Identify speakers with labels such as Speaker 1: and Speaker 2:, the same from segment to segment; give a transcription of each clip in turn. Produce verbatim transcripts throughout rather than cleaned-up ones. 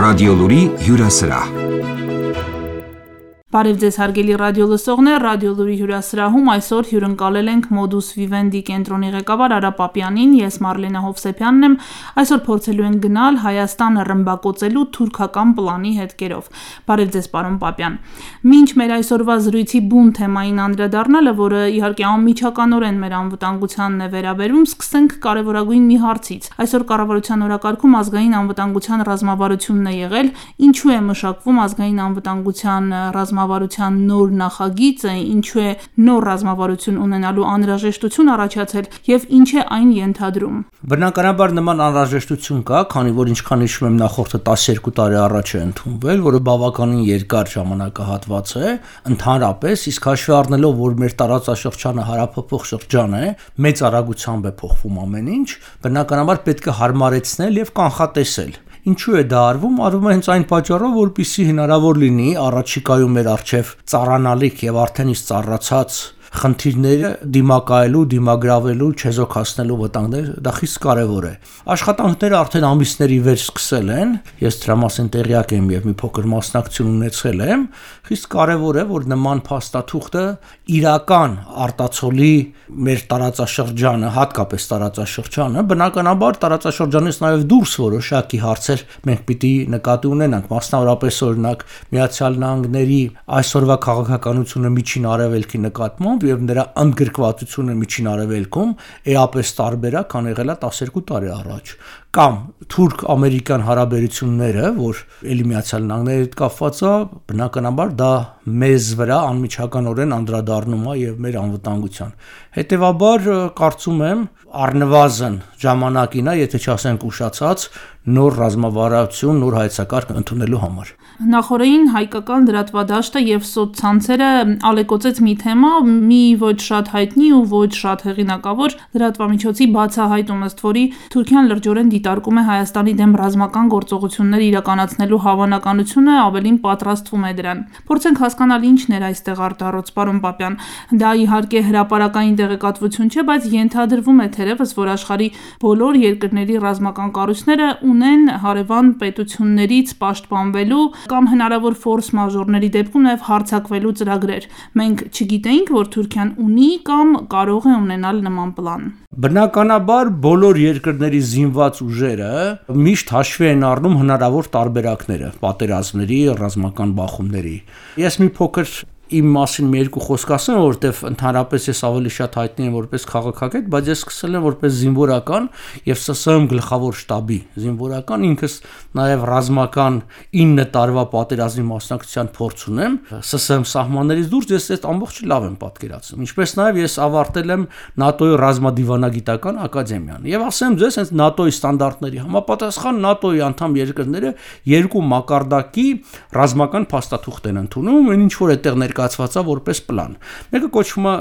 Speaker 1: Ռադիոլուրի հյուրասրահ։
Speaker 2: Բարև ձեզ հարգելի ռադիոլսողներ, Ռադիոլուրի հյուրասրահում այսօր հյուրընկալել ենք Modus Vivendi կենտրոնի ղեկավար Արա Պապյանին, ես Մարլենա Հովսեփյանն եմ։ Այսօր փորձելու ենք գնալ Հայաստանը ռմբակոծելու թուրքական պլանի հետքերով։ Բարև ձեզ, պարոն Պապյան։ Մինչ մեր այսօրվա զրույցի բուն թեմային անդրադառնալը, որը իհարկե անմիջականորեն մեր անվտանգությանն է վերաբերում, սկսենք կարևորագույն մի հարցից։ Այսօր կառավարության օրակարգում ազգային անվտանգության ռազմավարությունն է եղել, ինչու է մշակվում ազգային անվտանգության ռազմավարության նոր նախագիծը, ինչու է նոր ռազմավարություն ունենալու անհրաժեշտություն առաջացել եւ ինչ է այն ենթադրում։
Speaker 3: Բնականաբար նման անհրաժեշտություն կա, քանի որ ինչքան հիշում եմ նախորդը տասներկու տարի առաջ է ընդունվել, որը բավականին երկար ժամանակահատված է, ընդհանրապես, իսկ հաշվի առնելով, որ մեր տարածաշրջանը հարաբերող շրջան է, մեծ արագությամբ է փոխվում ամեն ինչ, բնականաբար պետք է հարմարեցնել եւ կանխատեսել։ Ինչու է դա արվում, արվում է հենց այն պատճառով, որպեսզի հնարավոր լինի առաջիկայում մեր առջև ծառանալիք եւ արդեն իսկ ծառացած խնդիրները դիմակայելու, դիմագրավելու, չեզոքացնելու վտանգներ, դա խիստ կարևոր է։ Աշխատանքները արդեն ամիսների վեր սկսել են, ես դրա մասին տեղյակ եմ եւ մի փոքր մասնակցություն ունեցել եմ, խիստ կարևոր է, որ նման փաստաթուղթը իրական արտացոլի մեր տարածաշրջանը, հատկապես տարածաշրջանը, բնականաբար տարածաշրջանից նաեւ դուրս որոշակի հարցեր մենք պիտի նկատի ունենանք, մասնավորապես օրինակ Միացյալ Նահանգների այսօրվա քաղաքականությունը միջին արևելքի նկատմամբ եւ նրա ընդգրկվածությունը միջին արևելքում էապես տարբերակ քան եղել է տասներկու տարի առաջ, կամ թուրք-ամերիկյան հարաբերությունները, որ ելի Միացյալ Նահանգների հետ կապված է, բնականաբար դա մեզ վրա անմիջականորեն անդրադառնում է եւ մեր անվտանգության։ Հետևաբար կարծում եմ առնվազն ժամանակին է, եթե չասենք ուշացած, նոր ռազմավարություն, նոր հայեցակարգ ընդունելու համար։
Speaker 2: Նախորդին հայկական լրատվադաշտը եւ սոցցանցերը ալեկոծեց մի թեմա, մի ոչ շատ հայտնի ու ոչ շատ հեղինակավոր լրատվամիջոցի բացահայտում, ըստ որի Թուրքիան լրջորեն դիտարկում է Հայաստանի դեմ ռազմական գործողություններ իրականացնելու հավանականությունը, ավելին պատրաստվում է դրան։ Փորձենք հասկանալ ինչն էր այստեղ արտառոց, պարոն Պապյան։ Դա իհարկե հրապարակային տեղեկատվություն չէ, բայց ենթադրվում է թերևս, որ աշխարհի բոլոր երկրների ռազմական կառույցները ունեն հարևան պետություններից պաշտպանվելու կամ հնարավոր ֆորս մաժորների դեպքում նաև հարձակվելու ծրագրեր։ Մենք չգիտեինք, որ Թուրքիան ունի կամ կարող է ունենալ նման պլան։
Speaker 3: Բնականաբար բոլոր երկրների զինված ուժերը միշտ հաշվի են առնում հնարավոր տարբերակները, պատերազմների, ռազմական բախումների։ Ես մի փոքր իմ մասին մի երկու խոսք ասեմ, որովհետև ընդհանրապես ես ավելի շատ հայտնի եմ որպես քաղաքագետ, բայց ես սկսել եմ որպես զինվորական եւ ՍՍՀ գլխավոր շտաբի զինվորական, ինքս նաեւ ռազմական ինը տարվա պատերազմի մասնակցության փորձ ունեմ, ՍՍՀ սահմաններից դուրս ես այդ ամբողջը լավ եմ պատկերացնում, ինչպես նաեւ ես ավարտել եմ ՆԱՏՕ-ի ռազմադիվանագիտական ակադեմիան եւ ասեմ ձեզ, հենց ՆԱՏՕ-ի ստանդարտների համապատասխան ՆԱՏՕ-ի անդամ երկրները երկու մակարդակի ռազմական փաստաթուղթ են ընդունում, ինչ որ այդտեղ ներկայացված է որպես պլան։ Մեկը կոչվում է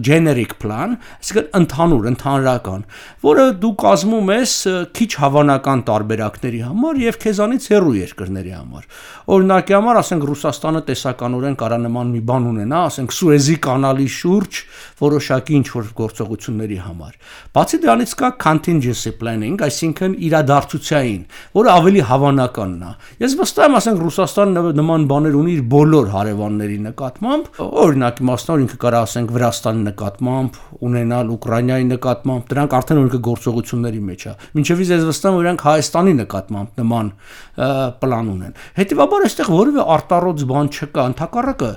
Speaker 3: generic plan, այսինքն ընդհանուր, ընդհանրական, որը դու կազմում ես քիչ հավանական տարբերակների համար եւ քեզանից հեռու երկրների համար։ Օրինակի համար, ասենք Ռուսաստանը տեսականորեն կարա նման մի բան ունենա, ասենք Սուեզի կանալի շուրջ որոշակի ինչ-որ գործողությունների համար։ Բացի դրանից կա contingency planning, այսինքն իրադարձությունային, որը ավելի հավանականն է։ Ես վստահ եմ, ասենք Ռուսաստանը նման բաներ ունի իր բոլոր հարևանների նկատմամբ, օրինակ մասնավոր ինքը կարա ասենք Վրաստանի նկատմամբ, ունենալ Ուկրաինայի նկատմամբ, դրանք արդեն օրինակ գործողությունների մեջ է։ Մինչեւ ես վստահ եմ, որ Հայաստանի նկատմամբ նման պլան ունեն։ Հետևաբար այստեղ որևէ արտառոց բան չկա, ընդհակառակը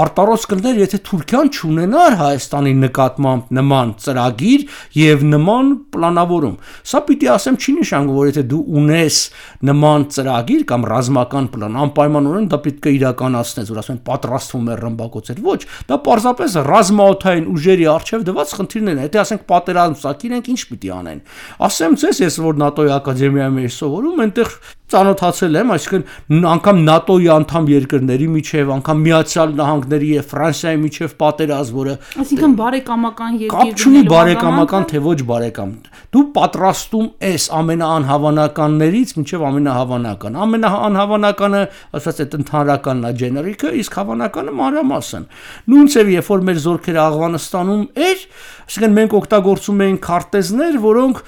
Speaker 3: արտառոց կներ, եթե Թուրքիան չունենար Հայաստանի նկատմամբ նման ծրագիր եւ նման պլանավորում։ Սա պիտի ասեմ չի նշանակում, որ եթե դու ունես նման ծրագիր կամ ռազմական պլան, անպայմանորեն դա պետք է իրականացնես, որ ասեն պատրաստվում է ռմբակոծել։ Ոչ, դա պարզապես ռազմաօդային ուժերի արժեվ դված խնդիրներն են։ Եթե ասենք պատերազմ սակին ենք, ինչ պիտի անեն։ Ասեմ ձեզ, ես որ ՆԱՏՕ-ի ակադեմիայում եմ սովորում, այնտեղ ծանոթացել եմ, այսինքն անգամ ՆԱՏՕ-ի անդամ երկրների միջև, անգամ Միացյալ Նահանգների եւ Ֆրանսիայի միջև պատերազմ, որը
Speaker 2: այսինքն բարեկամական երկիրներ,
Speaker 3: կապ չունի բարեկամական թե ոչ բարեկամ։ Դու պատրաստում ես ամենաանհավանականներից մինչև ամենահավանական։ Ամենաանհավանականը, ասած այդ ընդհանրականն է generic-ը, իսկ հավանականը մանրամասն։ Նույնիսկ երբ որ մեր զորքերը Աֆղանստանում էր, այսինքն մենք օգտագործում էինք քարտեզներ, որոնք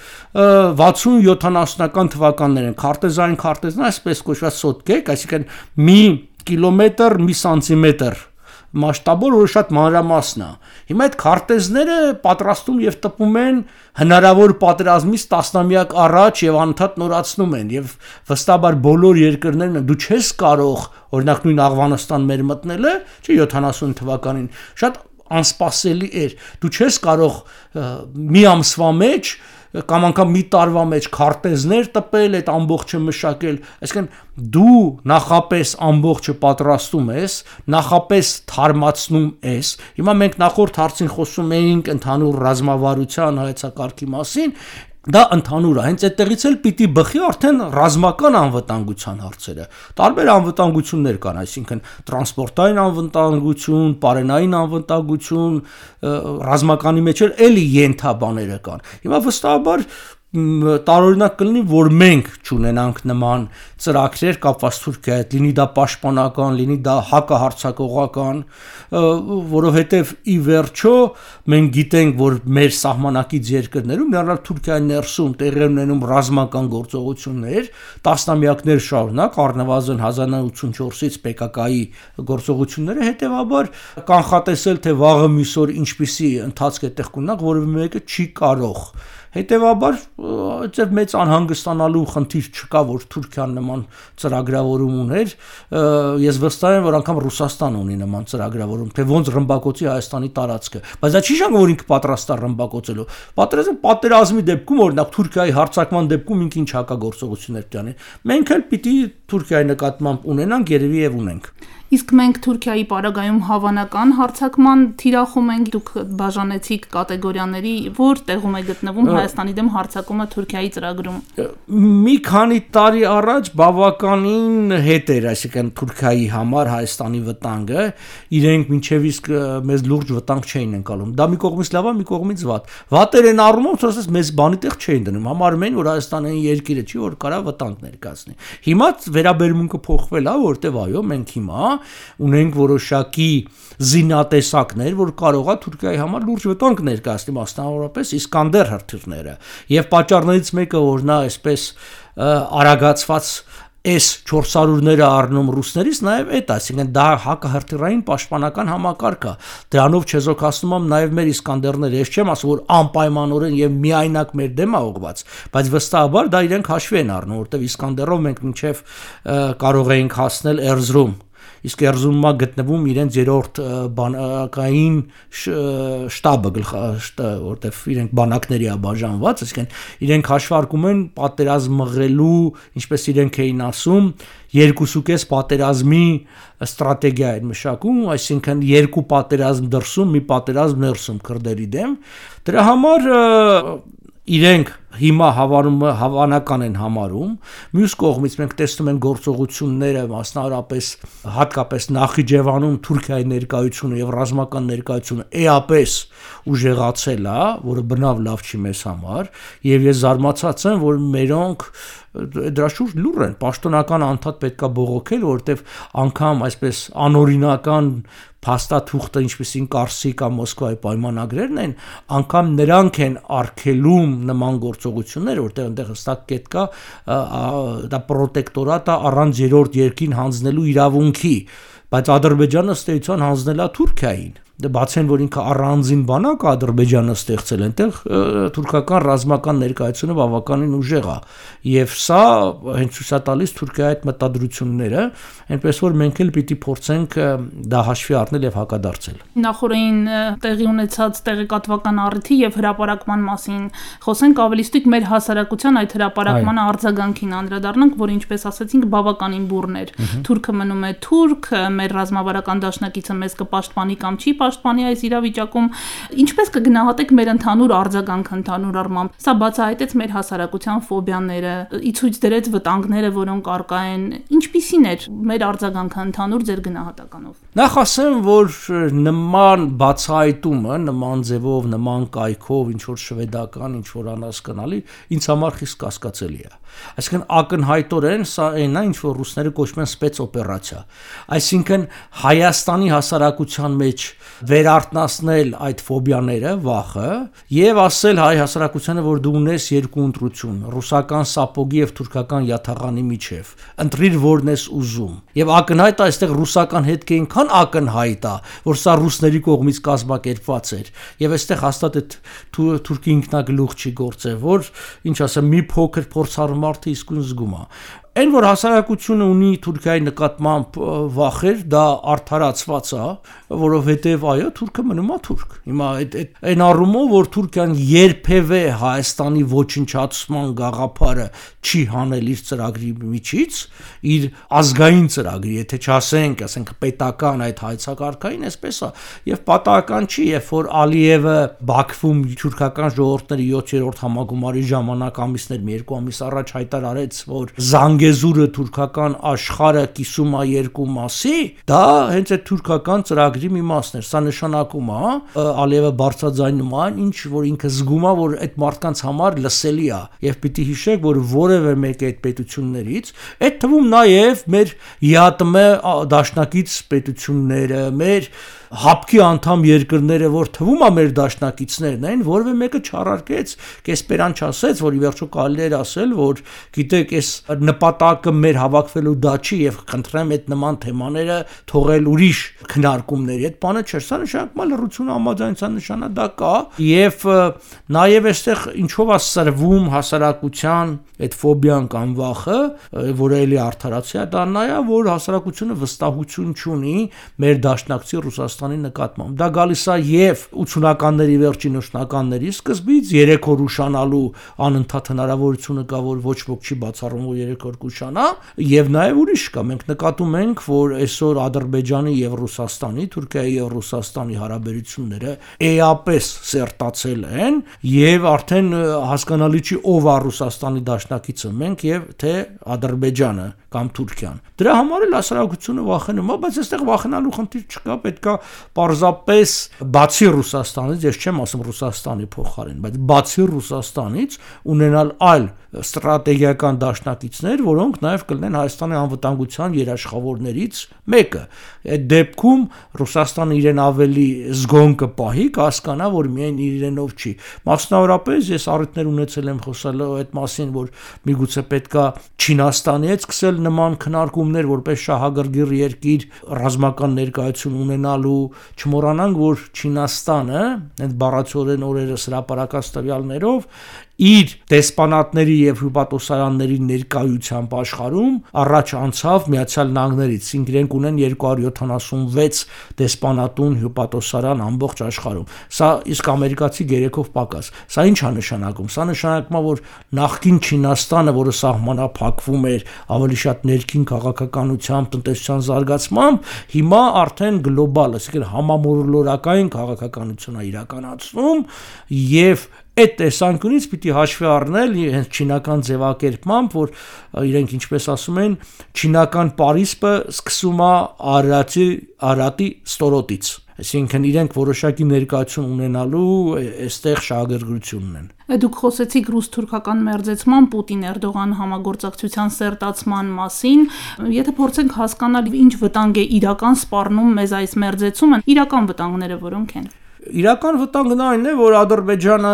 Speaker 3: վաթսուն-յոթանասունական թվականներ են, քարտեզային քարտեզն այսպես կոչված սոտկեք, այսինքն մի կիլոմետր, մի սանտիմետր մասշտաբով, որ շատ մանրամասն է։ Հիմա այդ քարտեզները պատրաստում եւ տպում են հնարավոր պատերազմից տասնամյակ առաջ եւ անընդհատ նորացնում են եւ վստահաբար բոլոր երկրներն դու չես կարող օրինակ նույն Աղվանստան մեր մտնելը, չէ յոթանասուն թվականին շատ անսպասելի էր։ Դու չես կարող մի ամսվա մեջ կամ անգամ մի տարվա մեջ քարտեզներ տպել, այդ ամբողջը մշակել, այսինքն դու նախապես ամբողջը պատրաստում ես, նախապես թարմացնում ես։ Հիմա մենք նախորդ հարցին խոսում էինք ընդհանուր ռազմավարության հայեցակարգի մասին, դա ընդհանուր է, հենց այդտեղից էլ պիտի բխի արդեն ռազմական անվտանգության հարցերը։ Տարբեր անվտանգություններ կան, այսինքն տրանսպորտային անվտանգություն, պարենային անվտանգություն, ռազմականի մեջ էլ էլի ենթաբաները կան։ Հիմա վստահաբար տարօրինակ կլինի, որ մենք չունենանք նման ծրագրեր կապված Թուրքիայի հետ, լինի դա պաշտպանական, լինի դա հակահարձակողական, որովհետև ի վերջո մենք գիտենք, որ մեր սահմանակից երկրներում, ներառյալ Թուրքիայի ներսում տեղի ունենում ռազմական գործողություններ, տասնամյակներ շարունակ, առնվազն հազար նորը ութսունչորսից Պե Կա Կայի գործողությունները, հետևաբար կանխատեսել, թե վաղը մյուս օր ինչպիսի ընթացք է տեղ կունենա, որևէ մեկը չի կարող։ Հետևաբար այդտեղ մեծ անհանգստանալու խնդիր չկա, որ Թուրքիան նման ծրագրավորում ուներ, ես վստահ եմ, որ անգամ Ռուսաստանը ունի նման ծրագրավորում, թե ոնց ռմբակոծի Հայաստանի տարածքը, բայց դա չի շանգ, որ ինքը պատրաստ է ռմբակոծելու։ Պատերազմի պատերազմի դեպքում, օրինակ Թուրքիայի հարձակման դեպքում ինքը ինչ հակագործողություններ պետք է անի։ Մենք էլ պիտի Թուրքիայի նկատմամբ ունենանք, երևի եւ ունենք։
Speaker 2: Իսկ մենք Թուրքիայի պարագայում հավանական հարձակման թիրախում ենք, դուք բաժանեցիք կատեգորիաների, որ տեղում է գտնվում Հայաստանի դեմ հարձակումը Թուրքիայի ծրագրում։
Speaker 3: Մի քանի տարի առաջ բավականին հետ էր, այսինքն Թուրքիայի համար Հայաստանի վտանգը, իրենք մինչև իսկ մեզ լուրջ վտանգ չէին ընկալում։ Դա մի կողմից լավ է, մի կողմից վատ։ Վատեր են առումով, ասես մեզ բանի տեղ չէին դնում, համարում էին, որ Հայաստանը երկիրը չի, որ կարա վտանգ ներկայացնի։ Հիմա վերաբերմունքը փոխվել է, որտեվ այո, մենք հիմա ունենք որոշակի զինատեսակներ, որ կարող է Թուրքիայի համար լուրջ վտանգ ներկայացնի, մասնավորապես Իսկանդեր հրթիռները, եւ պատճառներից մեկը, որ նա այսպես արագացված S չորս հարյուրները առնում ռուսներից, նաև այդ, այսինքն դա հակահրթիռային պաշտպանական համակարգ է։ Դրանով չեզոքացնում եմ նաև մեր Իսկանդերները, ես չեմ ասում, որ անպայմանորեն եւ միայնակ մեր դեմ է ուղղված, բայց վստահաբար դա իրենք հաշվի են առնում, որտեղ Իսկանդերով մենք մինչև կարող էինք հասնել Էրզրում, իսկ Էրզրումա գտնվում իրենց երրորդ բանակային շտաբը, որտեղ իրենք բանակների է բաժանված, այսինքն իրենք հաշվարկում են պատերազմ մղելու, ինչպես իրենք էին ասում, երկուսուկես պատերազմի ստրատեգիա են մշակում, այսինքն երկու պատերազմ դրսում, մի պատերազմ ներսում քրդերի դեմ։ Դրա համար իրենք հիմա հավանում հավանական են համարում, մյուս կողմից մենք տեսնում ենք գործողությունները, մասնավորապես հատկապես Նախիջևանում Թուրքիայի ներկայությունը եւ ռազմական ներկայությունը էապես ուժեղացել է, որը բնավ լավ չի մեզ համար, եւ ես զարմացած եմ, որ մերոնք դրա շուրջ լուր են, պաշտոնական անդադ պետքա բողոքել, որովհետեւ անգամ այսպես անօրինական փաստաթուղթը, ինչպեսին Կարսի կամ Մոսկվայի պայմանագրերն են, անգամ նրանք են արգելում նման գործողություններ, որտեղ այնտեղ հստակ կետ կա, դա պրոտեկտորատ է առանց երրորդ երկին հանձնելու իրավունքի, բայց Ադրբեջանը ըստ էության հանձնել է Թուրքիային։ Բացեն, որ ինքը առանձին բանակ Ադրբեջանը ստեղծել այնտեղ թուրքական ռազմական ներկայությունը բավականին ուժեղ է, եւ սա հենց ցույց է տալիս Թուրքիայի այդ մտադրությունները, այնպես որ մենք էլ պիտի փորձենք դա հաշվի առնել եւ հակադարձել։
Speaker 2: Նախորդին տեղի ունեցած տեղեկատվական առիթի եւ հրապարակման մասին խոսենք ավելի ստույգ մեր հասարակության այդ հրապարակման արձագանքին անդրադառնանք, որ ինչպես ասացինք բավականին բուռն էր։ Թուրքը մնում է թուրք, մեր ռազմավարական դաշնակիցը մեզ կպաշտպանի կամ չի պաշտպանի այս իրավիճակում, ինչպես կգնահատեք մեր ընդհանուր արձագանքը ընդհանուր առմամբ։ Սա բացահայտեց մեր հասարակության ֆոբիաները, ի ցույց դրեց վտանգները, որոնք առկա են։ Ինչպիսին էր մեր արձագանքը ընդհանուր ձեր գնահատականով։
Speaker 3: Նախ ասեմ, որ նման բացահայտումը, նման ձևով, նման կայքով, ինչ որ շվեդական, ինչ որ անհասկանալի, ինձ համար խիստ կասկածելի է։ Այսինքն ակնհայտորեն սա այն է, ինչ որ ռուսները կոչում են սպեցօպերացիա։ Այսինքն Հայաստանի հասարակության մեջ վերարտնացնել այդ ֆոբիաները, վախը եւ ասել հայ հասարակությանը, որ դու ունես երկու ընտրություն՝ ռուսական սապոգի եւ թուրքական յաթաղանի միջև։ Ընտրիր որն ես ուզում։ Եվ ակնհայտ է այստեղ ռուսական հետքը այնքան ակնհայտ է, որ սա ռուսների կողմից կազմակերպված էր։ Եվ այստեղ հաստատ այդ թուրքի ինքնագլուխ չի գործել, որ ինչ ասեմ, մի փոքր փորձառու մարդը իսկույն զգում է։ Այն որ հասարակությունը ունի Թուրքիայի նկատմամբ վախեր, դա արդարացված է, որովհետև այո, թուրքը մնում է թուրք։ Հիմա այդ այն առումով, որ Թուրքիան երբևէ Հայաստանի ոչնչացման գաղափարը չի հանել իր ծրագրի միջից, իր ազգային ծրագրի, եթե չասենք, ասենք պետական այդ հայցակարգային, այսպես է, եւ պատահական չի, երբ որ Ալիևը Բաքվում թուրքական ժողովուրդների յոթերորդ համագումարի ժամանակ ամիսներ մի երկու ամիս առաջ հայտարարեց, որ Զանգեզուրը թուրքական աշխարհը կիսում է երկու մասի, դա հենց այդ թուրքական ծրագրի մի մասն էր։ Սա նշանակում է, Ալիևը բարձրաձայնում է, ինչ որ ինքը զգում է, որ այդ մարդկանց համար լսելի է, եւ պիտի հիշեք, որ որևէ մեկ այդ պետություններից, այդ թվում նաեւ մեր ԵԱՏՄ դաշնակից պետությունները, մեր հապկի անդամ երկրները, որ թվում է մեր դաշնակիցներն են, որևէ մեկը չառարկեց, կեսպերան չասեց, որ ի վերջո կարելի էր ասել, որ գիտեք, այս նպատակը մեր հավաքվելու դա չի եւ խնդրեմ այդ նման թեմաները թողել ուրիշ քննարկումների։ Այդ բանը չէ, սա նշանակում է լռություն համաձայնության նշանակ է եւ նաեւ այստեղ ինչով է սրվում հասարակության այդ ֆոբիան կամ վախը, որը էլի արդարացի է, դա նա է, որ հասարակությունը վստահություն չունի մեր դաշնակցի Ռուսաստանի նկատմամբ։ Դա գալիս է եւ ութսունականների վերջին ութսունականների սկզբից, երեք օր ուշանալու անընդհատ հնարավորությունը կա, որ ոչ ոք չի բացառում, որ երեք օր կուշանա, եւ նաեւ ուրիշ կա։ Մենք նկատում ենք, որ այսօր Ադրբեջանի եւ Ռուսաստանի, Թուրքիայի եւ Ռուսաստանի հարաբերությունները էապես սերտացել են եւ արդեն հասկանալի չի ով է Ռուսաստանի դաշնակիցը, մենք եւ թե Ադրբեջանը կամ Թուրքիան։ Դրա համար էլ հասարակությունը վախենում է, բայց այստեղ վախենալու խնդիր չկա, պետքա պարզապես բացի Ռուսաստանից, ես չեմ ասում Ռուսաստանի փոխարեն, բայց բացի Ռուսաստանից ունենալ այլ ստրատեգիական դաշնակիցներ, որոնք նաև կլինեն Հայաստանի անվտանգության երաշխավորներից մեկը։ Այդ դեպքում Ռուսաստանը իրեն ավելի զգոն կպահի, կհասկանա, որ միայն իրենով չի։ Մասնավորապես ես առիթներ ունեցել եմ խոսալ այդ մասին, որ միգուցե պետքա Չինաստանի հետ սկսել նման քննարկումներ, որպես շահագրգիռ երկիր ռազմական ներկայություն ունենալու, չմոռանանք, որ Չինաստանը այդ բառացիորեն օրերս հրապարակած տվյալներով իր դեսպանատների եւ հյուպատոսարանների ներկայությամբ աշխարհում առաջ անցավ Միացյալ Նահանգներից, ինքն իրենք ունեն երկու հարյուր յոթանասունվեց դեսպանատուն հյուպատոսարան ամբողջ աշխարհում։ Սա իսկ ամերիկացի գերեքով պակաս։ Սա ինչ է նշանակում։ Սա նշանակում է, որ նախկին Չինաստանը, որը սահմանափակվում էր ավելի շատ ներքին քաղաքականությամբ, տնտեսության զարգացմամբ, հիմա արդեն գլոբալ, այսինքն համամոլորակային քաղաքականություն է իրականացնում եւ այդ տեսանկյունից պիտի հաշվի առնել հենց չինական ձևակերպմամբ, որ իրենք ինչպես ասում են, չինական Պարիսպը սկսում է Արարատի Արարատի ստորոտից, այսինքն իրենք որոշակի ներկայություն ունենալու այստեղ շահագրգռություն ունեն։
Speaker 2: Դուք խոսեցիք ռուս-թուրքական մերձեցման Պուտին-Էրդողան համագործակցության սերտացման մասին, եթե փորձենք հասկանալ ինչ վտանգ է իրական սպառնում մեզ այս մերձեցումը, իրական վտանգները որոնք են։
Speaker 3: Իրական վտանգն այն է, որ Ադրբեջանը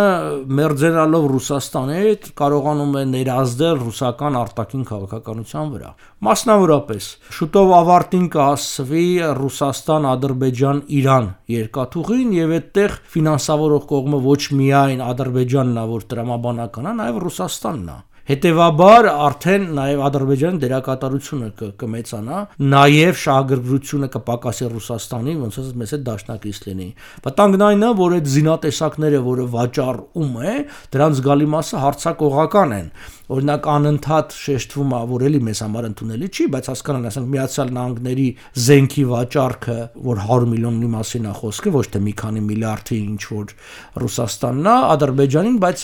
Speaker 3: մերձենալով Ռուսաստանի հետ կարողանում է ներազդել ռուսական արտաքին քաղաքականության վրա։ Մասնավորապես, շուտով ավարտին կհասցվի Ռուսաստան-Ադրբեջան-Իրան երկաթուղին եւ այդտեղ ֆինանսավորող կողմը ոչ միայն Ադրբեջանն է, որ տրամաբանական է, նաեւ Ռուսաստանն է։ Հետևաբար արդեն նաև Ադրբեջանի դերակատարությունը կմեծանա, նաև շահագրգռությունը կպակասի Ռուսաստանի, ոնց ասած մեծ դաշնակից լինի։ Վտանգն այն է, որ այդ զինատեսակները, որը վաճառում է, դրանց զգալի մասը հարձակողական են։ Օրինակ անընդհատ շեշտվում է, որ էլի մեզ համար ընդունելի չի, բայց հասկանան, ասենք Միացյալ Նահանգների զենքի վաճառքը, որ հարյուր միլիոնի մասին է խոսքը, ոչ թե մի քանի միլիարդի ինչ որ Ռուսաստանն է, Ադրբեջանին, բայց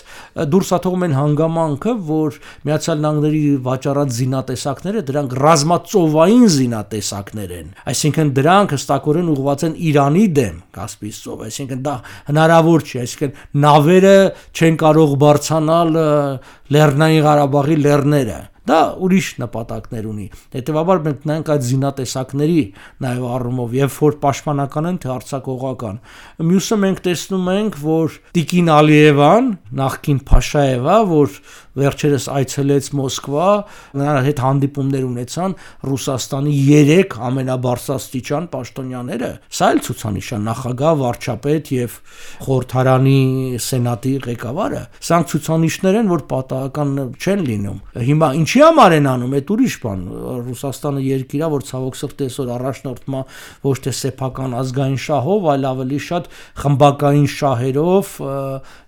Speaker 3: դուրս է թողում են հանգամանքը, որ Միացյալ Նահանգների վաճառած զինատեսակները դրանք ռազմածովային զինատեսակներ են, այսինքն դրանք հստակորեն ուղղված են Իրանի դեմ Կասպից ծով, այսինքն դա հնարավոր չի, այսինքն նավերը չեն կարող բարձրանալ Լեռնային Ղարաբաղի լեռները, դա ուրիշ նպատակներ ունի։ Հետևաբար մենք նայենք այդ զինատեսակների նաև առումով եւ որ պաշտպանական են թե արձակողական։ Մյուսը մենք տեսնում ենք, որ Տիկին Ալիևան, նախկին Փաշաևա, որ վերջերս այցելեց Մոսկվա, նրա հետ հանդիպումներ ունեցան Ռուսաստանի երեք ամենաբարձրաստիճան պաշտոնյաները։ Սա էլ ցուցանիշ է, նախագահ, վարչապետ եւ խորհրդարանի սենատի ղեկավարը։ Սրանք ցուցանիշներ են, որ պատահական չեն լինում։ Հիմա ինչի համար են անում, այդ ուրիշ բան։ Ռուսաստանը երկիր է, որ ցավոք սրտի այսօր առաջնորդվում է ոչ թե սեփական ազգային շահով, այլ ավելի շատ խմբակային շահերով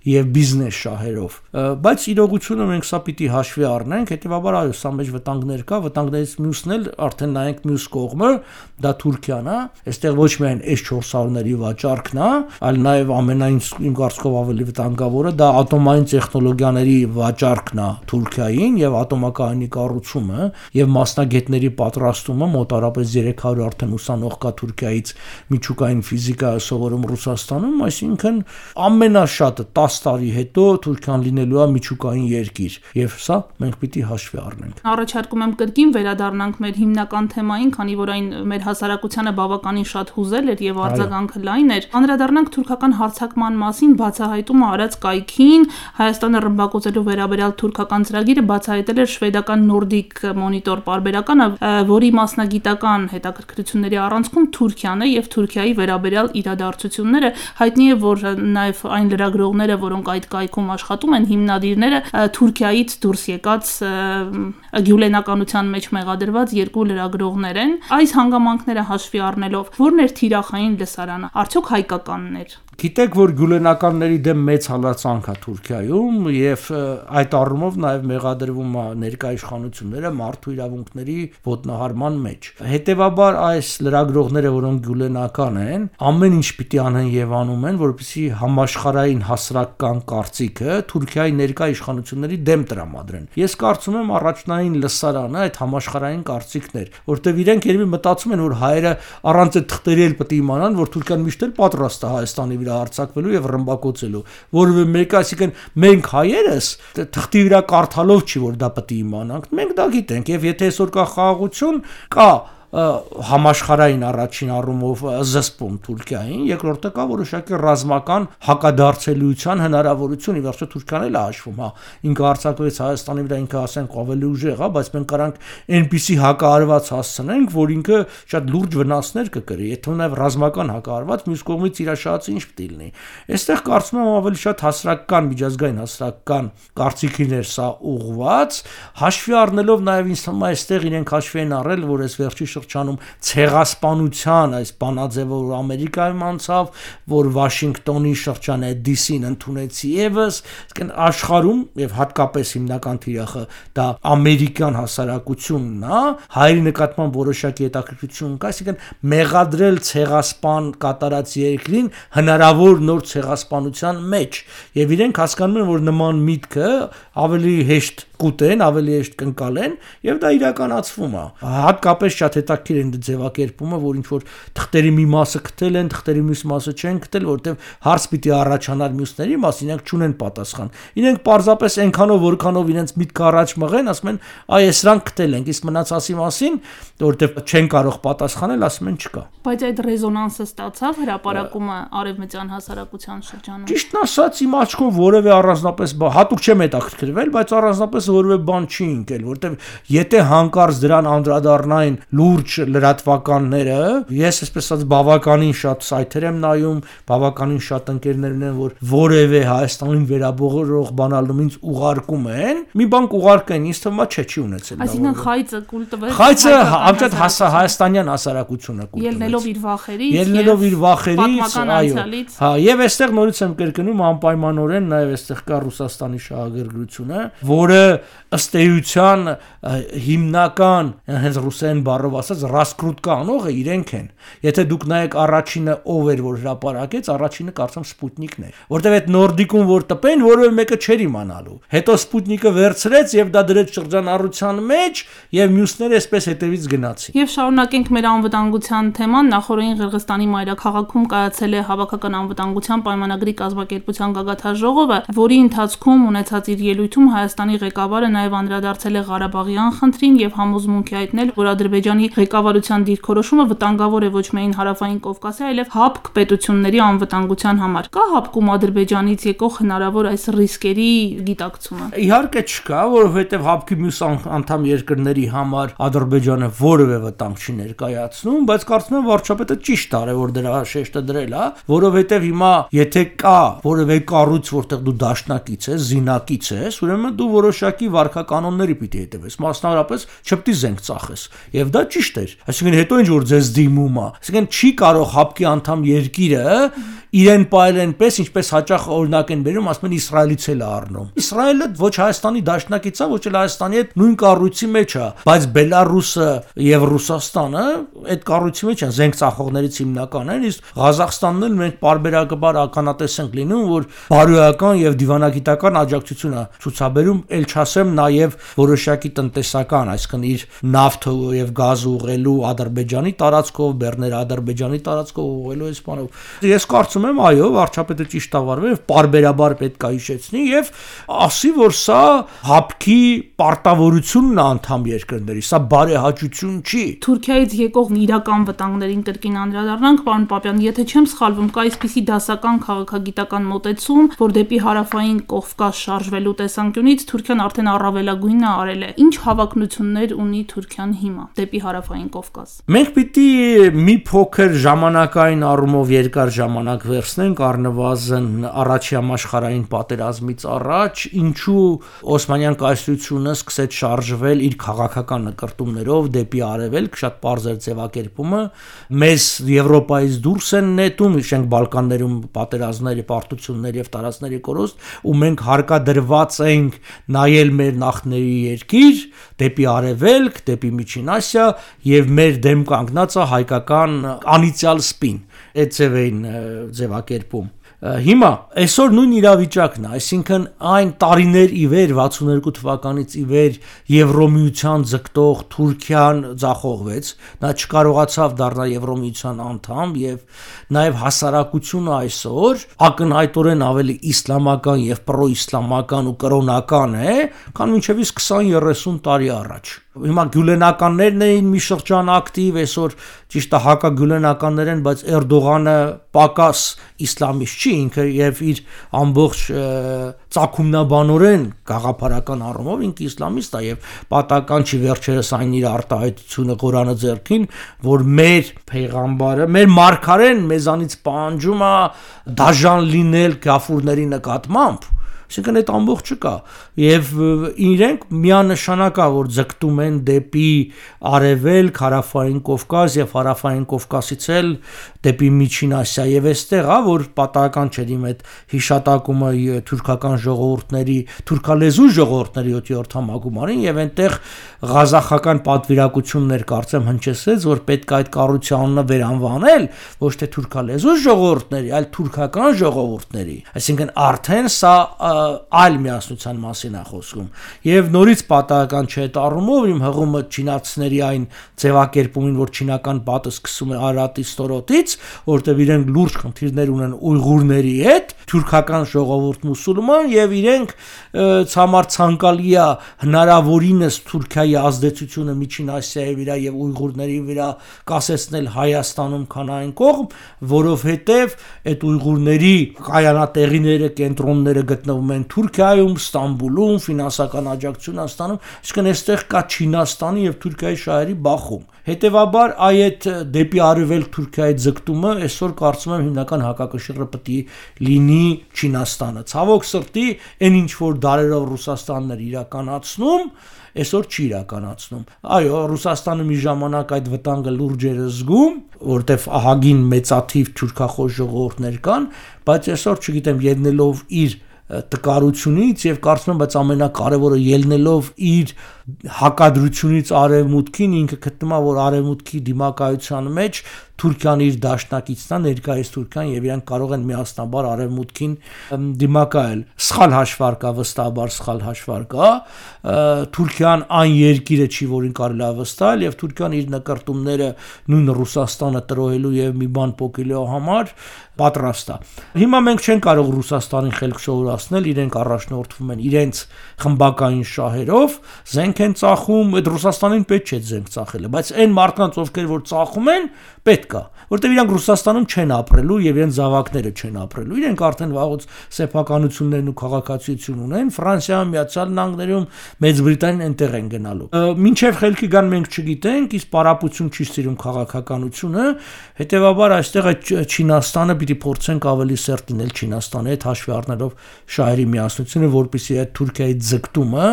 Speaker 3: եւ բիզնես շահերով։ Բայց իրողությունը մենք սա պիտի հաշվի առնենք, հետեւաբար այո, սա մեջ վտանգներ կա, վտանգներից մյուսն էլ արդեն նայենք մյուս կողմը, դա Թուրքիան է։ Այստեղ ոչ միայն էս չորս հարյուրների վաճառքն է, այլ նաեւ ամենայն իմ կարծիքով ավելի վտանգավորը դա ատոմային տեխնոլոգիաների վաճառքն է Թուրքիային եւ ատոմակայանի կառուցումը եւ մասնագետների պատրաստումը մոտարապես երեք հարյուր արդեն ուսանող կա Թուրքիայից միջուկային ֆիզիկա սովորում Ռուսաստանում, այսինքն ամենաշատը տասը տարի հետո Թուրքիան լինելու է միջուկային երկիր եւ սա մենք պիտի հաշվի առնենք։
Speaker 2: Առաջարկում եմ կրկին վերադառնանք մեր հիմնական թեմային, քանի որ այն մեր հասարակությանը բավականին շատ հուզել էր եւ արձագանքը լայն էր։ Անդրադառնանք թուրքական հարձակման մասին բացահայտումը արած կայքին, Հայաստանը ռմբակոծելու վերաբերյալ թուրքական ծրագիրը բացահայտել էր շվեդական Nordic Monitor պարբերականը, որի մասնագիտական հետաքրքրությունների առանցքում Թուրքիան է եւ Թուրքիայի վերաբերյալ իրադարձությունները։ Հայտնի է, որ նաեւ այն լրագրողները, որոնք այդ կայքում աշխատում են, հիմնադիրները Թուրքիայից դուրս եկած գյուլենականության մեջ մեղադրված երկու լրագրողներ են։ Այս հանգամանքները հաշվի առնելով, ո՞րն էր թիրախային լսարանը, արդյոք հայկականն էր։
Speaker 3: Գիտեք, որ գյուլենականների դեմ մեծ հալածանք է Թուրքիայում եւ այդ առումով նաեւ մեղադրվում է ներկայ իշխանությունները մարդու իրավունքների ոտնահարման մեջ։ Հետևաբար այս լրագրողները, որոնք գյուլենական են, ամեն ինչ պիտի անեն եւ անում են, որպեսզի համաշխարհային հասարակական կարծիքը Թուրքիայի ներկայ իշխանությունների դեմ տրամադրեն։ Ես կարծում եմ առաջնային լսարանը այդ համաշխարհային կարծիքն էր, որտեղ իրենք երևի մտածում են, որ հայերը առանց այդ թղթերի էլ պետք է իմանան, որ Թուրքիան միշտ էլ պատրաստ է Հայաստանի վրա հարձակվելու եւ ռմբակոծելու, որովհետեւ մեկ այսինքն մենք հայերս թղթի վրա կարդալով չի, որ դա պետք է իմանանք, մենք դա գիտենք եւ եթե այսօր կա խաղաղություն, կա համաշխարհային առաջին առումով զսպում Թուրքիային, երկրորդը կա որոշակի ռազմական հակադարձելիության հնարավորություն, ի վերջո Թուրքիան էլ է հաշվում, հա, ինքը հարձակվեց Հայաստանի վրա, ինքը ասենք ավելի ուժեղ է, բայց մենք կարանք այնպիսի հակահարված հասցնենք, որ ինքը շատ լուրջ վնասներ կկրի, եթե նաև ռազմական հակահարված, մյուս կողմից իրաշահացը ինչ պետք է լինի։ Այստեղ կարծում եմ ավելի շատ հասարակական, միջազգային հասարակական կարծիքին էր սա ուղղված, հաշվի առնելով նաև ինձ թվում է այստեղ իրենք հաշվի են առել, որ այս վերջի շրջանում ցեղասպանության այս բանաձևը որ Ամերիկայում անցավ, որ Վաշինգտոնի շրջանը դ սին ընդունեցի եւս, աշխարհում եւ հատկապես հիմնական թիրախը դա ամերիկյան հասարակությունն է, հայերի նկատմամբ որոշակի հետաքրքրություն կա, այսինքն մեղադրել ցեղասպան կատարած երկրին հնարավոր նոր ցեղասպանության մեջ եւ իրենք հասկանում են, որ նման միտքը ավելի հեշտ կուտեն, ավելի հեշտ կընկալեն եւ դա իրականացվում է։ Հատկապես շատ հետաքրքիր է ձևակերպումը, որ ինչ որ թղթերի մի մասը գտել են, թղթերի մյուս մասը չեն գտել, որտեղ հարց պիտի առաջանար մյուսների մասին, իրենք չունեն պատասխան։ Իրենք պարզապես այնքանով, որքանով իրենց միտքը առաջ մղեն, ասում են, այ սրանք գտել ենք, իսկ մնացածի մասին, որտեղ չեն կարող պատասխանել, ասում են չկա։
Speaker 2: Բայց այդ ռեզոնանսը ստացավ հրապարակումը արևմտյան հասարակության շրջանում։
Speaker 3: Ճիշտն ասած, իմ աչքով որևէ առանձնապես հատուկ չեմ հետաքրքրվել, բայց առանձնապես որևէ բան չի ընկել, որտեղ եթե հանկարծ դրան անդրադառնային լուրջ լրատվականները, ես այսպես ասած բավականին շատ սայթեր եմ նայում, բավականին շատ ընկերներ ունեն, որ որևէ Հայաստանին վերաբերող բանալում ինձ ուղարկում են, մի բան կուղարկեն, ինձ թվում է չէ չի ունեցել։
Speaker 2: Այսինքն խայծը կուլ տվեց։
Speaker 3: Խայծը ամենաշատ հայաստանյան հասարակությունը կուլ տվեց։
Speaker 2: Ելնելով իր վախերից,
Speaker 3: ելնելով իր վախերից,
Speaker 2: այո։
Speaker 3: Հա, եւ այստեղ նորից եմ կրկնում անպայմանորեն նաեւ այստեղ կա Ռուսաստանի շահագրգռությունը, որը ըստ էության հիմնական հենց ռուսերեն բառով ասած ռասկրուտկա անողը իրենք են։ Եթե դուք նայեք առաջինը ով էր որ հրապարակեց, առաջինը կարծեմ Սպուտնիկն էր, որտեղ այդ նորդիկուն որ տպեն, որովհետեւ մեկը չէր իմանալու։ Հետո Սպուտնիկը վերցրեց եւ դա դրեց շրջանառության մեջ եւ մյուսները այսպես հետևից գնացին։
Speaker 2: Եվ շարունակենք մեր անվտանգության թեման, նախորդին Ղրղստանի մայրաքաղաքում կայացել է հավաքական անվտանգության պայմանագրի կազմակերպության գագաթաժողովը, որի ընթացքում ունեցած իր ելույթում Հայաստանի ղեկավար ղեկավարը նաև անդրադարձել է Ղարաբաղյան խնդրին եւ համոզմունք է հայտնել, որ Ադրբեջանի ղեկավարության դիրքորոշումը վտանգավոր է ոչ միայն Հարավային Կովկասի, այլև ՀԱՊԿ պետությունների անվտանգության համար։ Կա ՀԱՊԿ-ում Ադրբեջանից եկող հնարավոր այս ռիսկերի գիտակցումը։
Speaker 3: Իհարկե չկա, որովհետև ՀԱՊԿ-ի մյուս անդամ երկրների համար Ադրբեջանը որևէ վտանգ չի ներկայացնում, բայց կարծում եմ վարչապետը ճիշտ արել, որ դրա շեշտը դրել է, որովհետև հիմա եթե կա որևէ կառույց, որտեղ դու դաշնակից ես, զինակից ես, ուրեմն դու որոշակի վարքականոնների պիտի հետևես, մասնավորապես չպետք է զենք ծախես։ Եվ դա ճիշտ էր։ Այսինքն հետո ինչ որ ձեզ դիմում է, այսինքն չի կարող ՀԱՊԿ-ի անդամ երկիրը իրեն պայել այնպես, ինչպես հաճախ օրինակ են բերում, ասում են Իսրայելից էլ առնում։ Իսրայելը ոչ Հայաստանի դաշնակից է, ոչ էլ Հայաստանի հետ նույն կառույցի մեջ է, բայց Բելարուսը եւ Ռուսաստանը այդ կառույցի մեջ են, զենք ծախողներից հիմնական են, իսկ Ղազախստանն էլ մենք պարբերաբար ականատես ենք լինում, որ բարոյական եւ դիվանագիտական աջակցություն է ցուցաբերում, ել չասեմ նաեւ որոշակի տնտեսական, այսինքն իր նավթը եւ գազը ուղղելու Ադրբեջանի տարածքով, բեռները Ադրբեջանի տարածքով ուղղելու այս բանով։ Ես կարծում եմ, այո, վարչապետը ճիշտ ավարվել եւ պարբերաբար պետք է հիշեցնի եւ ասի, որ սա ՀԱՊԿ-ի պարտավորությունն է անդամ երկրների, սա բարեհաճություն չի։
Speaker 2: Թուրքիայից եկող իրական վտանգներին կրկին անդրադառնանք, պարոն Պապյան, եթե չեմ սխալվում, կա այսպիսի դասական քաղաքագիտական մոտեցում, որ դեպի Հարավային Կովկաս շարժվելու տեսանկյունից Թուրքիան արդեն առավելագույնը արել է։ Ինչ հավակնություններ ունի Թուրքիան հիմա դեպի Հարավային Կովկաս։
Speaker 3: Մենք պիտի մի փոքր ժամանակային առումով երկար ժամանակ վերցնենք առնվազն առաջի համաշխարհային պատերազմից առաջ, ինչու Օսմանյան կայսրությունը սկսեց շարժվել իր քաղաքական նկարտումներով դեպի արևելք, շատ պարզ էր ձևակերպումը, մեզ Եվրոպայից դուրս են նետում, իշենք Բալկաններում պատերազմների, պարտությունների եւ տարածքների կորուստ, ու մենք հարկադրված ենք նայել մեր նախների երկիր դեպի արևելք, դեպի Միջին Ասիա եւ մեր դեմ կանգնած է հայկական անիցիալ սպին, այդ ձևային ձևակերպում։ Հիմա այսօր նույն իրավիճակն է, այսինքն այն տարիներ ի վեր վաթսունհինգ թվականից ի վեր Եվրոմիության ձգտող Թուրքիան ձախողվեց, նա չկարողացավ դառնալ Եվրոմիության անդամ եւ նաեւ հասարակությունը այսօր ակնհայտորեն ավելի իսլամական եւ պրոիսլամական ու կրոնական է, քան մինչեւ իսկ քսան երեսուն տարի առաջ։ Հիմա գյուլենականներն էին մի շրջան ակտիվ, այսօր ճիշտ է հակագյուլենականներ են, բայց Էրդողանը պակաս իսլամիստ չի, ինքը եւ իր ամբողջ ծագումնաբանորեն գաղափարական առումով ինքը իսլամիստ է եւ պատական չի վերջերս այն իր արտահայտությունը Ղուրանը ձեռքին, որ մեր փեյղամբարը, մեր մարգարեն մեզանից պահանջում է դաժան լինել գաֆուրների նկատմամբ։ Այսինքն այդ ամբողջը կա եւ իրենք միանշանակ է որ ձգտում են դեպի արևելք, Հարավային Կովկաս եւ Հարավային Կովկասից էլ դեպի Միջին Ասիա եւ այստեղ է որ պատահական չէ իմ այդ հիշատակումը թուրքական ժողովուրդների, թուրքալեզու ժողովուրդների յոթերորդ համագումարին եւ այնտեղ ղազախական պատվիրակություններ կարծեմ հնչեցրեց որ պետք է այդ կառույցը վերանվանել ոչ թե թուրքալեզու ժողովուրդների, այլ թուրքական ժողովուրդների, այսինքն արդեն սա այլ միասնության մասին է խոսում եւ նորից պատահական չէ այդ առումով իմ հղումը չինացիների այն ձևակերպումին որ չինական պատը սկսում է Արարատի ստորոտից որտեղ իրենք լուրջ խնդիրներ ունեն ուйղուրների հետ թուրքական ժողովուրդ մուսուլման եւ իրենք ցամար ցանկալի է հնարավորինս Թուրքիայի ազդեցությունը Միջին Ասիայի վրա եւ ուйղուրների վրա կասեցնել Հայաստանում քան այն կողմ որովհետեւ այդ ուйղուրների կայանատեղիները կենտրոնները գտնվում են Թուրքիայում, Ստամբուլում, ֆինանսական աջակցություն ստանում, այսինքն այստեղ կա Չինաստանի եւ Թուրքիայի շահերի բախում։ Հետևաբար այդ դեպի արևելք Թուրքիայի ձգտումը այսօր կարծում եմ հիմնական հակակշիռը պետք է լինի Չինաստանը։ Ցավոք սրտի, այն ինչ որ դարերով Ռուսաստանն էր իրականացնում, այսօր չի իրականացնում։ Այո, Ռուսաստանը մի ժամանակ այդ վտանգը լուրջ էր զգում, որտեվ ահագին մեծաթիվ թուրքախոս ժողովուրդներ կան, բայց այսօր չգիտեմ, ելնելով իր տկարությունից եւ կարծում եմ բայց ամենակարևորը ելնելով իր հակադրությունից արևմուտքին ինքը գտնում է որ արևմուտքի դիմակայության մեջ Թուրքիան իր դաշնակիցն է, ներկայիս Թուրքիան եւ իրանք կարող են միասնաբար արևմուտքին դիմակայել։ Սխալ հաշվարկ է, վստահաբար սխալ հաշվարկ է։ Թուրքիան այն երկիրը չի, որին կարելի է վստահել, եւ Թուրքիան իր նկարտումները նույն Ռուսաստանը տրոհելու եւ մի բան փոխելու համար պատրաստ է։ Հիմա մենք չենք կարող Ռուսաստանին խելք սովորացնել, իրենք առաջնորդվում են իրենց խմբակային շահերով, զենք են ծախում, այդ Ռուսաստանին պետք չէ զենք ծախելը, բայց այն մարդկանց, ովքեր որ ծախում են, պետք է, որտեղ իրանք Ռուսաստանում չեն ապրելու եւ իրենց զավակները չեն ապրելու։ Իրենք արդեն վաղուց սեփականություններն ու քաղաքացիություն ունեն, Ֆրանսիայում, Միացյալ Նահանգներում, Մեծ Բրիտանիան այնտեղ են գնալու։ Մինչեւ խելքի գան մենք չգիտենք, իսկ պարապություն չի ստիրում քաղաքականությունը, հետեւաբար այստեղ այդ Չինաստանը պիտի փորձենք ավելի սերտ լինել Չինաստանի հետ հաշվի առնելով շահերի միասնությունը, որպեսզի այդ Թուրքիայի ձգտումը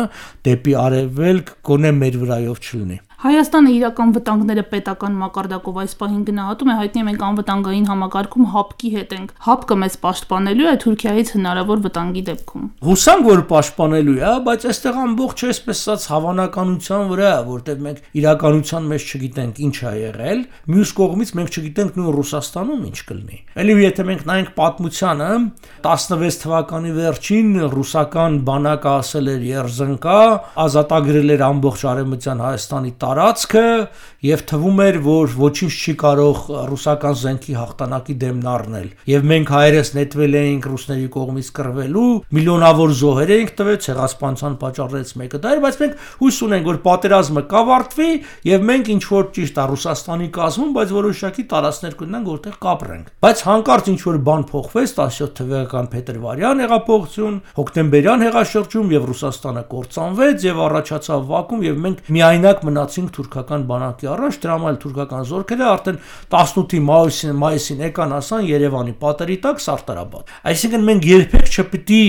Speaker 3: դեպի արևելք գոնե մեր վրայով չլինի։
Speaker 2: Հայաստանը իրական վտանգները պետական մակարդակով այս պահին գնահատում է, հայտնի է մենք անվտանգային համակարգում հապկի հետ ենք։ Հապկը մեզ պաշտպանելու է Թուրքիայից հնարավոր վտանգի դեպքում։
Speaker 3: Հուսանք, որ պաշտպանելու է, բայց այստեղ ամբողջ այսպես ասած հավանականության վրա, որտեղ մենք իրականության մեջ չգիտենք ինչ է եղել, մյուս կողմից մենք չգիտենք նույն Ռուսաստանում ինչ կլինի։ Էլի եթե մենք նայենք պատմությանը, տասնվեց թվականի վերջին ռուսական բանակը ասել էր երզնկա, ազատագրել էր ամբողջ արևմտյան Հայաստանի տարածքը եւ թվում էր, որ ոչինչ չի կարող ռուսական զենքի հաղթանակի դեմն առնել։ Եվ մենք հայերս նետվել էինք ռուսների կողմից կռվելու, միլիոնավոր զոհեր էինք տվել, ցեղասպանության պատճառներից մեկը դա էր, բայց մենք հույս ունենք, որ պատերազմը կավարտվի եւ մենք ինչ որ ճիշտ է Ռուսաստանի կազմում, բայց որոշակի տարածքներ կունենանք, որտեղ կապրենք։ Բայց հանկարծ ինչ որ բան փոխվեց տասնյոթ թվական փետրվարյան հեղափոխություն, հոկտեմբերյան հեղաշրջում եւ Ռուսաստանը կործանվեց եւ առաջացավ վակուում եւ մենք միայնակ մնացինք թուրքական բանակի առաջ, դրա համար թուրքական զորքերը արդեն տասնութի մայիսին մայիսին եկան ասան Երևանի պատերի տակ Սարտարաբադ։ Այսինքն մենք երբեք չպիտի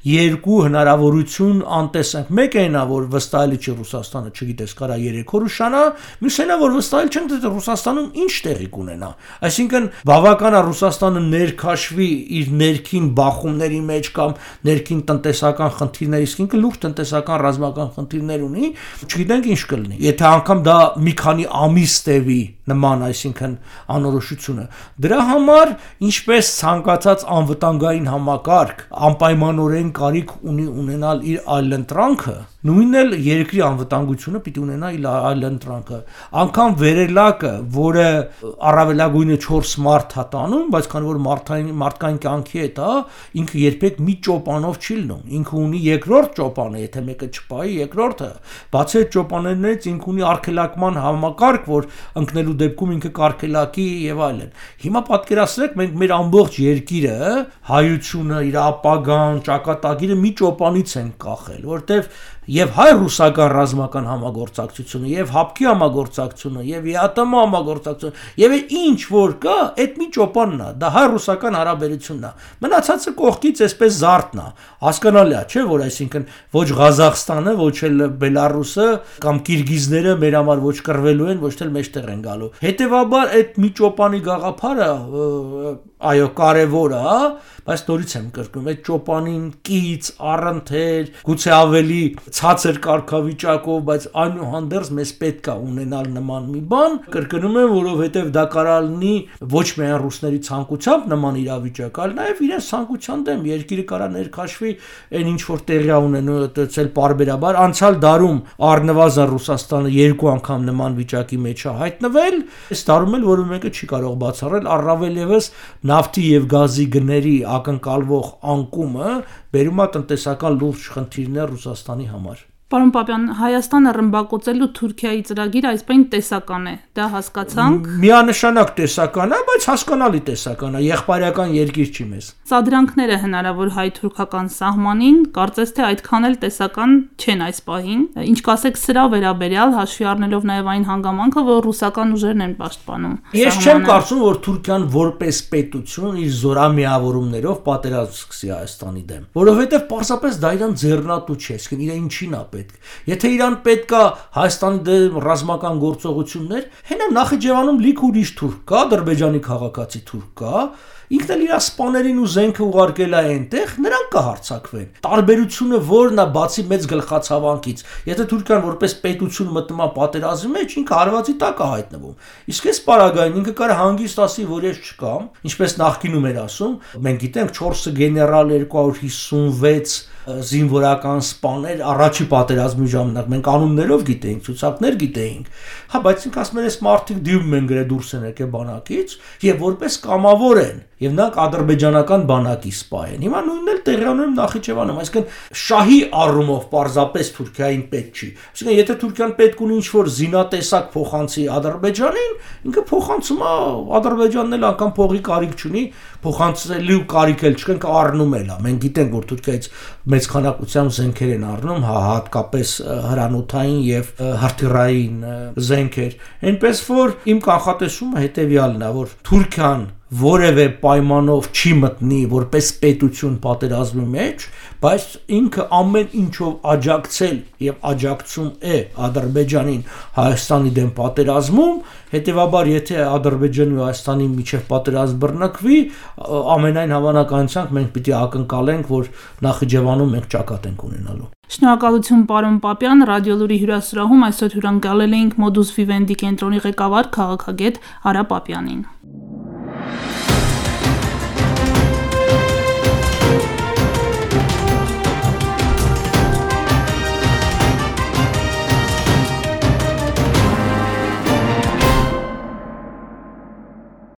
Speaker 3: երկու հնարավորություն անտեսենք։ Մեկը այնա, որ վստահելի չի Ռուսաստանը, չգիտես, կարա երեք օր ուշանա, մյուսն է, որ վստահել չենք, թե Ռուսաստանում ինչ տեղի կունենա։ Այսինքն բավական է Ռուսաստանը ներքաշվի իր ներքին բախումների մեջ կամ ներքին տնտեսական խնդիրների, իսկ ինքը լուրջ տնտեսական ռազմական խնդիրներ ունի, չգիտենք ինչ կլինի։ Եթե անգամ դա մի քանի ամիս տևի նման, այսինքն անորոշությունը, դրա համար ինչպես ցանկացած անվտանգային համակարգ անպայմանորեն կարիք ունի ունենալ իր այլընտրանքը, նույնն էլ երկրի անվտանգությունը պիտի ունենա իր այլընտրանքը։ Անկամ վերելակը, որը առավելագույնը չորս մարդ է տանում, բայց քանի որ մարդային մարդկային կյանքի հետ է, ինքը երբեք մի ճոպանով չի լինում։ Ինքը ունի երկրորդ ճոպանը, եթե մեկը չպայի, երկրորդը, բացի այդ ճոպաներներից ինքը ունի արգելակման համակարգ, որ ընկնելու դեպքում ինքը կարգելակի եւ այլն։ Հիմա պատկերացրեք, մենք մեր ամբողջ երկիրը, հայությունը, իր ապագան, ճակատագիրը մի ճոպանից են կախել, որտեվ եւ հայ-ռուսական ռազմական համագործակցությունը, եւ հապկի համագործակցությունը, եւ ԵԱՏՄ համագործակցությունը, եւ ինչ որ կա, այդ մի ճոպանն է, դա հայ-ռուսական հարաբերությունն է։ Մնացածը կողքից այսպես զարթն է։ Հասկանալի է, չէ՞, որ այսինքն ոչ Ղազախստանը, ոչ էլ Բելարուսը կամ Կիրգիզները մեր համար ոչ կռվելու են, ոչ էլ մեջտեղ են գալու։ Հետևաբար այդ մի ճոպանի գաղափարը, այո, կարևոր է, բայց նորից եմ կրկնում, այդ ճոպանին կից, առընթեր, գուցե ավելի ցածր կարգավիճակով, բայց այնուհանդերձ մեզ պետք է ունենալ նման մի բան, կրկնում եմ, որովհետև դա կարող լինի ոչ միայն ռուսների ցանկությամբ նման իրավիճակ, այլ նաև իրենց ցանկության դեմ երկիրը կարող ներքաշվի այն ինչ որ տեղի ունենու այդել պարբերաբար անցյալ դարում առնվազն Ռուսաստանը երկու անգամ նման վիճակի մեջ է հայտնվել, այս դարում էլ որը մեկը չի կարող բացառել, առավել եւս նավթի եւ գազի գների ակնկալվող անկումը բերում է տնտեսական լուրջ խնդիրներ Ռուսաստանի համար։
Speaker 2: Պարոն Պապյան, Հայաստանը ռմբակոծելու Թուրքիայի ծրագիրը այսպես տեսական է, դա հասկացանք։
Speaker 3: Միանշանակ տեսական է, բայց հասկանալի տեսական է, եղբայրական երկիր չի մեզ։
Speaker 2: Սադրանքները հնարավոր հայ-թուրքական սահմանին, կարծես թե այդքան էլ տեսական չեն այս պահին։ Ինչ կասեք սրա վերաբերյալ, հաշվի առնելով նաև այն հանգամանքը, որ ռուսական ուժերն են պաշտպանում։
Speaker 3: Ես չեմ կարծում, որ Թուրքիան որպես պետություն իր զորամիավորումներով պատերազմ սկսի Հայաստանի դեմ, որովհետև պարզապես դա իրան ձեռնատու չէ, իսկ իրեն ինչին է պետք։ Եթե իրան պետք է Հայաստանի դեմ ռազմական գործողություններ, հենա Նախիջևանում լիք ուրիշ թուրք կա, Ադրբեջանի քաղաքացի թուրք կա, ինքն էլ իր սպաներին ու զենքը ուղարկել է այնտեղ, նրանք կհարձակվեն։ Տարբերությունը որն է բացի մեծ գլխացավանքից, եթե Թուրքիան որպես պետություն մտնում է պատերազմի մեջ, ինքը հարվածի տակ է հայտնվում։ Իսկ այս պարագային ինքը կարող հանգիստ ասի, որ ես չկամ, ինչպես նախկինում էր ասում, մենք գիտենք չորս գեներալ, երկու հարյուր հիսունվեց զինվորական սպաներ առաջի պատերազմի ժամանակ մենք անուններով գիտեինք, ցուցակներ գիտեինք, հա, բայց ինք ասում են, այս մարդիկ դիում են գրե դուրս են եկել բանակից եւ որպես կամավոր են եւ նրանք ադրբեջանական բանակի սպա են։ Հիմա նույնն էլ տեղյանում Նախիջևանում, այսինքն շահի առումով պարզապես Թուրքիային պետք չի։ Այսինքն եթե Թուրքիան պետք ունի ինչ-որ զինատեսակ փոխանցի Ադրբեջանին, ինքը փոխանցում է, Ադրբեջանն էլ անգամ փողի կարիք չունի, փոխանցելու կարիք էլ չկա, ինքը առնում էլ է։ Մենք գիտենք, որ Թուրքիայից մեծ քանակությամբ զենքեր են առնում, հա, հատկապես հրանոթային եւ հրթիռային զենքեր։ Այնպես որ իմ կանխատեսումը հետեւյալն է, որ Թուրքիան որևէ պայմանով չի մտնի որպես պետություն պատերազմի մեջ, բայց ինքը ամեն ինչով աջակցել եւ աջակցում է Ադրբեջանին Հայաստանի դեմ պատերազմում, հետեւաբար եթե Ադրբեջանի ու Հայաստանի միջև պատերազմ բռնկվի, ամենայն հավանականությամբ մենք պիտի ակնկալենք, որ Նախիջևանում մենք ճակատ ենք ունենալու։
Speaker 2: Շնորհակալություն պարոն Պապյան, Ռադիոլուրի հյուրասրահում այսօր հյուրընկալել էինք Modus Vivendi կենտրոնի ղեկավար քաղաքագետ Արա Պապյանին։